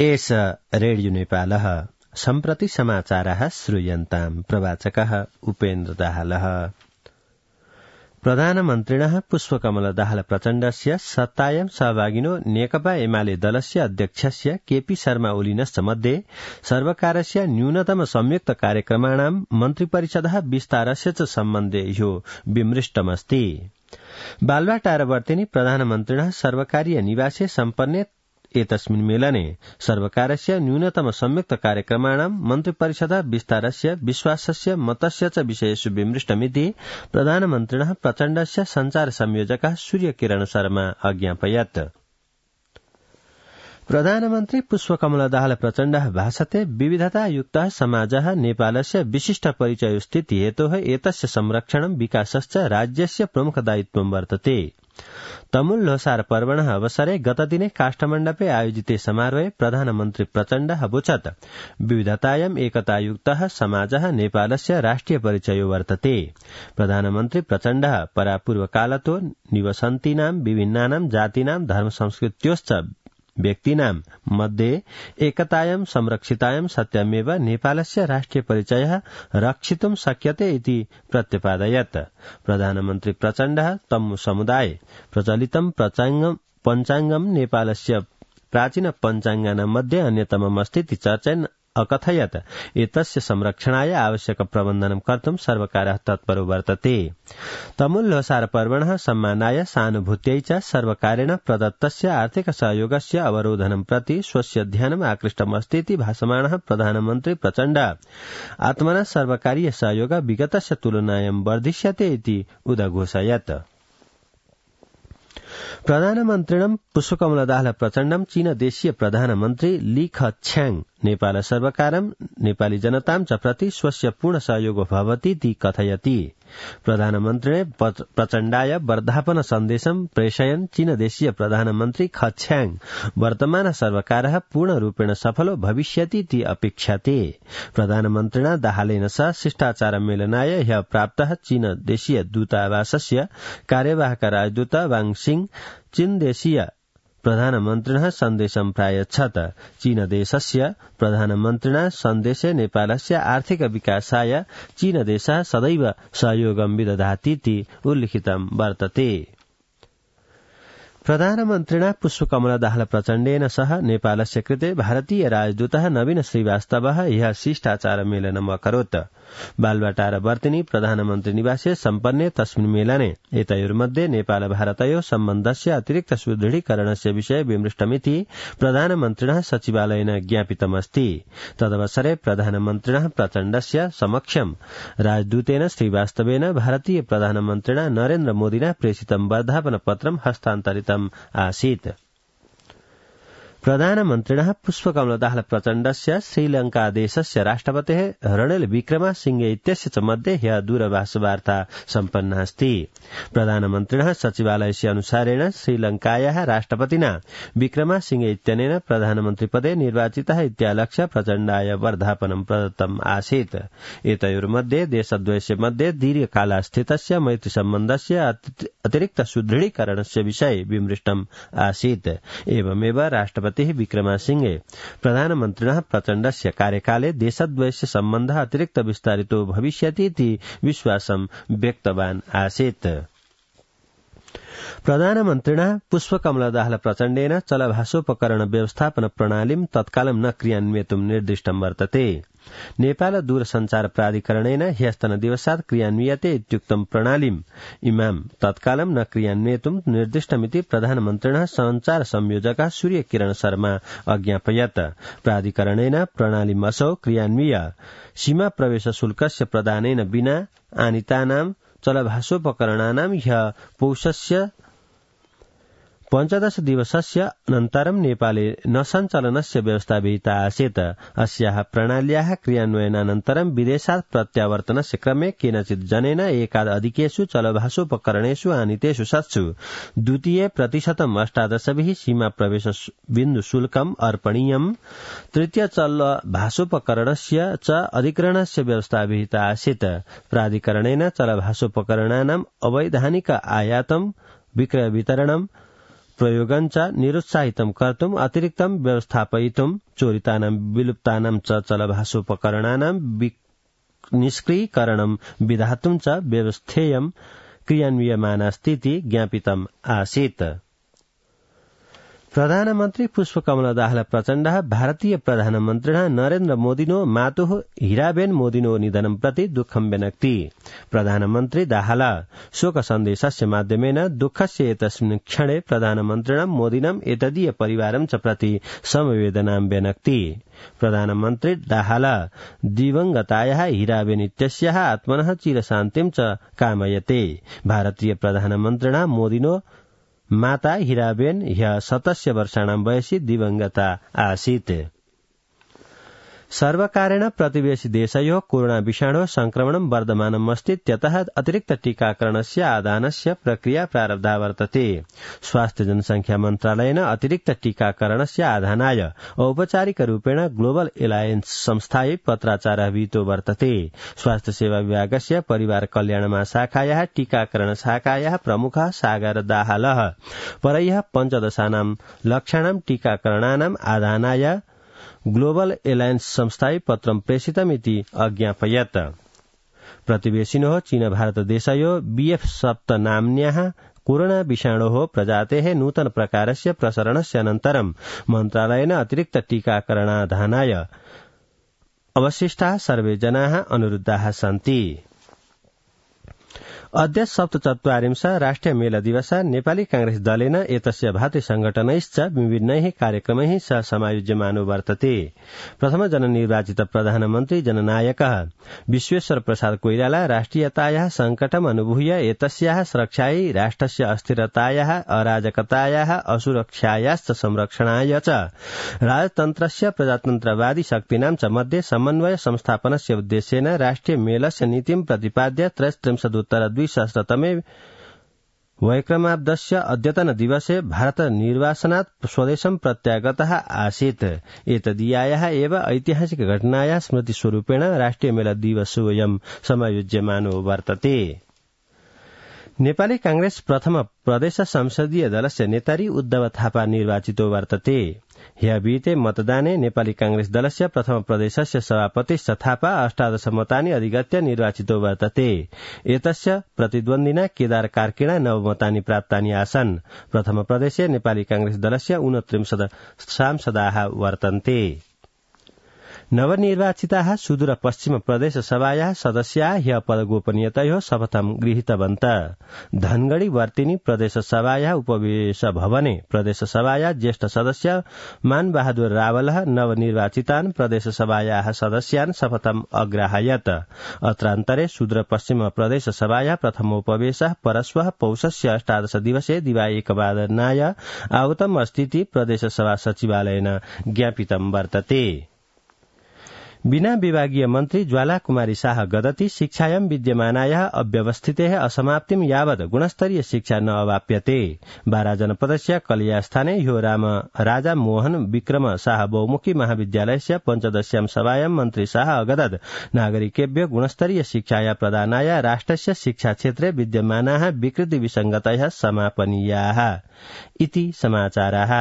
एष रेडियो नेपालः सम्प्रति समाचारः श्रूयन्ताम् प्रवाचकः उपेन्द्र दाहालः। प्रधानमन्त्रिणः पुष्पकमल दाहाल प्रचण्डस्य सत्तायां सहभागिनो नेकपा एमाले दलस्य अध्यक्षस्य केपी शर्मा ओलिनश्च मध्ये सर्वकारस्य न्यूनतम संयुक्त कार्यक्रमाणां मन्त्रिपरिषदः विस्तारस्य च सम्बन्धे ह्यो विमृष्टमस्ति। बालुवाटारवर्तिनि प्रधानमन्त्रिणः सर्वकारीय निवासे सम्पन्ने एतस्मिन् मेलने सर्वकारस्य न्यूनतम संयुक्त कार्यक्रमाणां मन्त्रिपरिषदः विस्तारस्य विश्वासस्य मतस्य च विषयेषु विमृष्टमिति प्रधानमन्त्रिणः प्रचण्डस्य सञ्चार संयोजकः सूर्यकिरण शर्मा अज्ञापयत्। प्रधानमन्त्री पुष्पकमल दाहाल प्रचण्डः भाषते विविधतायुक्तः समाजः नेपालस्य विशिष्ट परिचयस्थिति हेतोः एतस्य संरक्षणं विकासश्च राज्यस्य प्रमुख दायित्वं वर्तते। तमुल लोसार पर्वणः अवसरे गतदिने काष्ठमण्डपे आयोजिते समारोहे प्रधानमन्त्री प्रचण्डः अवोचत् विविधतायाम् एकतायुक्तः समाजः नेपालस्य राष्ट्रिय परिचयो वर्तते। प्रधानमन्त्री प्रचण्डः परापूर्वकालतो निवसन्तीनां विभिन्नानां जातीनां धर्म संस्कृत्योश्च व्यक्तीनां मध्ये एकतायां संरक्षितायां सत्यमेव नेपालस्य राष्ट्रिय परिचयः रक्षितुं शक्यते इति प्रत्यपादयत्। प्रधानमन्त्री प्रचण्डः तम्मु समुदाय प्रचलितं पञ्चाङ्गं नेपालस्य प्राचीन पञ्चाङ्गानां मध्ये अन्यतममस्तीति चर्चयन् अकथयत् एतस्य संरक्षणाय आवश्यक प्रबन्धनं कर्तुं सर्वकारः तत्परो वर्तते। तमुल लोसार पर्वणः सम्मानाय सानुभूत्यै च सर्वकारेण प्रदत्तस्य आर्थिक सहयोगस्य अवरोधनं प्रति स्वस्य ध्यानम् आकृष्टमस्तीति भाषमाणः प्रधानमन्त्री प्रचण्ड आत्मनः सर्वकारीय सहयोग विगतस्य तुलनायां वर्धिष्यते इति उदघोषयत्। प्रधानमन्त्रिणं पुष्पकमल दाहाल प्रचण्डं चीन देशीय प्रधानमन्त्री ली खछ्याङ नेपाल सर्वकारं नेपाली जनतां च प्रति स्वस्य पूर्ण सहयोग भवतीति कथयति। प्रधानमन्त्रिणे प्रचण्डाय वर्धापन सन्देशं प्रेषयन् चीन देशीय प्रधानमन्त्री खछ्याङ वर्तमान सर्वकारः पूर्णरूपेण सफलो भविष्यतीति अपेक्षते। प्रधानमन्त्रिणा दाहालेन सह शिष्टाचार मेलनाय ह्यः प्राप्तः चीन देशीय दूतावासस्य कार्यवाहक राजदूत वाङसिङ चीन देशीय प्रधानमन्त्रिणः सन्देशं प्रायच्छत्। चीन देशस्य प्रधानमन्त्रिणा सन्देशे नेपालस्य आर्थिक विकासाय चीन देशः सदैव सहयोगं विदधातीति उल्लिखितं वर्तते। प्रधानमन्त्रिणा पुष्पकमल दाहाल प्रचण्डेन सह नेपालस्य कृते भारतीय राजदूतः नवीन श्रीवास्तवः ह्यः शिष्टाचार मेलनम् अकरोत्। बालुवाटारवर्तिनि प्रधानमन्त्री निवासे सम्पन्ने तस्मिन् मेलने एतयोर्मध्ये नेपाल भारतयोः सम्बन्धस्य अतिरिक्त सुदृढीकरणस्य विषये विमृष्टमिति प्रधानमन्त्रिणः सचिवालयेन ज्ञापितमस्ति। तदवसरे प्रधानमन्त्रिणः प्रचण्डस्य समक्षं राजदूतेन श्रीवास्तवेन भारतीय प्रधानमन्त्रिणा नरेन्द्र मोदिना प्रेषितं वर्धापनपत्रं हस्तान्तरितम् आसीत्। प्रधानमन्त्रिणः पुष्पकमल दाहाल प्रचण्डस्य श्रीलङ्कादेशस्य राष्ट्रपतेः रणिल विक्रमसिंहे इत्यस्य च मध्ये ह्यः दूरभाषवार्ता सम्पन्ना अस्ति। प्रधानमन्त्रिणः सचिवालयस्य अनुसारेण श्रीलङ्कायाः राष्ट्रपतिना विक्रमसिंहे इत्यनेन प्रधानमन्त्रिपदे निर्वाचितः इत्यालक्ष्य प्रचण्डाय वर्धापनं प्रदत्तम् आसीत्। एतयोर्मध्ये देशद्वयस्य मध्ये दीर्घकालास्थितस्य मैत्रीसम्बन्धस्य अतिरिक्त सुदृढीकरणस्य विषये विमृष्टम् आसीत्। एवमेव राष्ट्रपतिः विक्रमसिंहे प्रधानमन्त्रिणः प्रचण्डस्य कार्यकाले देशद्वयस्य सम्बन्धः अतिरिक्त विस्तारितो भविष्यतीति विश्वासं व्यक्तवान् आसीत्। प्रधानमन्त्रिणः पुष्पकमल दाहाल प्रचण्डेन चलभाषोपकरण व्यवस्थापन प्रणालीं तत्कालं न क्रियान्वयितुं निर्दिष्टं वर्तते। नेपाल दूरसञ्चार प्राधिकरणेन ह्यस्तनदिवसात् क्रियान्वियते इत्युक्तं प्रणालीम् इमां तत्कालं न क्रियान्वयितुं निर्दिष्टमिति प्रधानमन्त्रिणः सञ्चार संयोजकः सूर्यकिरण शर्मा अज्ञापयत्। प्राधिकरणेन प्रणालीम् असौ क्रियान्वय्य सीमा प्रवेश शुल्कस्य प्रदानेन विना आनीतानां चलभाषोपकरणानां ह्यः पौषस्य 15 दिवसस्य अनन्तरं नेपाले न सञ्चालनस्य व्यवस्था विहिता आसीत्। अस्याः प्रणाल्याः क्रियान्वयनानन्तरं विदेशात् प्रत्यावर्तनस्य क्रमे केनचित् जनेन एकाद् अधिकेषु चलभाषोपकरणेषु आनीतेषु सत्सु 2% सीमा प्रवेश बिन्दु शुल्कम् अर्पणीयम्। तृतीय चलभाषोपकरणस्य च अधिग्रहणस्य व्यवस्था विहिता आसीत्। प्राधिकरणेन चलभाषोपकरणानाम् अवैधानिक आयातं विक्रय वितरणं दुष्प्रयोगं च निरुत्साहितं कर्तुम् अतिरिक्तं व्यवस्थापयितुं चोरितानां विलुप्तानां च चलभाषोपकरणानां निष्क्रियकरणं विधातुं च व्यवस्थेयं क्रियान्वियमानास्तीति ज्ञापितम् आसीत्। प्रधानमन्त्री पुष्पकमल दाहाल प्रचण्डः भारतीय प्रधानमन्त्रिणः नरेन्द्र मोदिनो मातुः हीराबेन मोदिनो निधनं प्रति दुःखं व्यनक्ति। प्रधानमन्त्री दाहाल शोक सन्देशस्य माध्यमेन दुःखस्य एतस्मिन् क्षणे प्रधानमन्त्रिणं मोदिनं एतदीय परिवारं च प्रति समवेदनां व्यनक्ति। प्रधानमन्त्री दाहाल दिवंगतायाः हीराबेन इत्यस्याः आत्मनः चिरशान्तिं च कामयते। भारतीय प्रधानमन्त्रिणा मोदिनो माता हीराबेन ह्यः 17 वर्षाणां वयसि दिवंगता आसीत्। सर्वकारेण प्रतिवेशि देशयोः कोरोना विषाणोः संक्रमणं वर्धमानम् अस्ति, त्यतः अतिरिक्त टीकाकरणस्य आदानस्य प्रक्रिया प्रारब्धा वर्तते। स्वास्थ्य जनसंख्या मन्त्रालयेन अतिरिक्त टीकाकरणस्य आधानाय औपचारिकरूपेण ग्लोबल एलायन्स संस्थायै पत्राचारः विहितो वर्तते। स्वास्थ्य सेवा विभागस्य परिवार कल्याण महाशाखायाः टीकाकरण शाखायाः प्रमुखः सागर दाहालः परह्यः 15 लक्षाणां टीकाकरणानाम् आधानाय ग्लोबल एलायन्स संस्थायै पत्रं प्रेषितमिति अज्ञापयत्। प्रतिवेशिनोः चीन भारत देशयोः BF.7 नाम्न्याः कोरोना विषाणोः प्रजातेः नूतन प्रकारस्य प्रसरणस्य अनन्तरं मन्त्रालयेन अतिरिक्त टीकाकरणाधानाय अवशिष्टाः सर्वे जनाः अनुरुद्धाः सन्ति। अद्य 47 राष्ट्रिय मेला दिवस नेपाली कांग्रेस दलेन एतस्य भातृ संघटनैश्च विभिन्नैः कार्यक्रमैः सह समायोज्यमानो वर्तते। प्रथम जननिर्वाचित प्रधानमन्त्री जननायकः विश्वेश्वर प्रसाद कोइराला राष्ट्रियतायाः संकटम् अनुभूय एतस्याः सुरक्षायै राष्ट्रस्य अस्थिरतायाः अराजकतायाः असुरक्षायाश्च संरक्षणाय च राजतन्त्रस्य प्रजातन्त्रवादी शक्तीनां च मध्ये समन्वय संस्थापनस्य उद्देश्येन राष्ट्रिय मेलस्य नीतिं प्रतिपाद्य 23-2023 वैक्रमाब्दस्य अद्यतन दिवसे भारत निर्वासनात् स्वदेशं प्रत्यागतः आसीत्। एतदीयायाः एव ऐतिहासिक घटनायाः स्मृतिस्वरूपेण राष्ट्रिय मेला दिवसोऽयं समायोज्यमानो वर्तते। नेपाली कांग्रेस प्रथम प्रदेश संसदीय दलस्य नेतारी उद्धव थापा निर्वाचितो वर्तते। ह्यः विहिते मतदाने नेपाली कांग्रेस दलस्य प्रथम प्रदेशस्य सभापतिश्च थापा 18 मतानि अधिगत्य निर्वाचितो वर्तते। एतस्य प्रतिद्वन्दिना केदार कार्कीणा 9 मतानि प्राप्तानि आसन्। प्रथम प्रदेशे नेपाली कांग्रेस दलस्य 29 सांसदाः वर्तन्ते। नवनिर्वाचिताः सुदूर पश्चिम प्रदेश सभायाः सदस्याः ह्यः पदगोपनीयतयोः शपथं गृहीतवन्तः। धनगढ़ी वर्तिनी प्रदेश सभायाः उपवेश भवने प्रदेश सभायाः ज्येष्ठ सदस्य मान बहादुर रावलः नवनिर्वाचितान् प्रदेश सभायाः सदस्यान् शपथम् अग्राहयत्। अत्रान्तरे सुदूर पश्चिम प्रदेश सभायाः प्रथमोपवेशः परश्वः पौषस्य 18 दिवसे दिवा 1 वादनाय आहूतम् अस्तीति प्रदेश सभा सचिवालयेन ज्ञापितं वर्तते। बिना विभागीय मन्त्री ज्वाला कुमारी शाह गदति शिक्षायां विद्यमानायाः अव्यवस्थितेः असमाप्तिं यावत् गुणस्तरीय शिक्षा न अवाप्यते। बारा जनपदस्य कलियास्थाने ह्यो राजा मोहन विक्रम शाह बहुमुखी महाविद्यालयस्य 15 सभायां मन्त्री शाह अगदत् नागरिकेभ्यो गुणस्तरीय शिक्षाया प्रदानाय राष्ट्रस्य शिक्षा क्षेत्रे विद्यमानाः विकृति विसङ्गतयः समापनीयाः इति समाचाराः।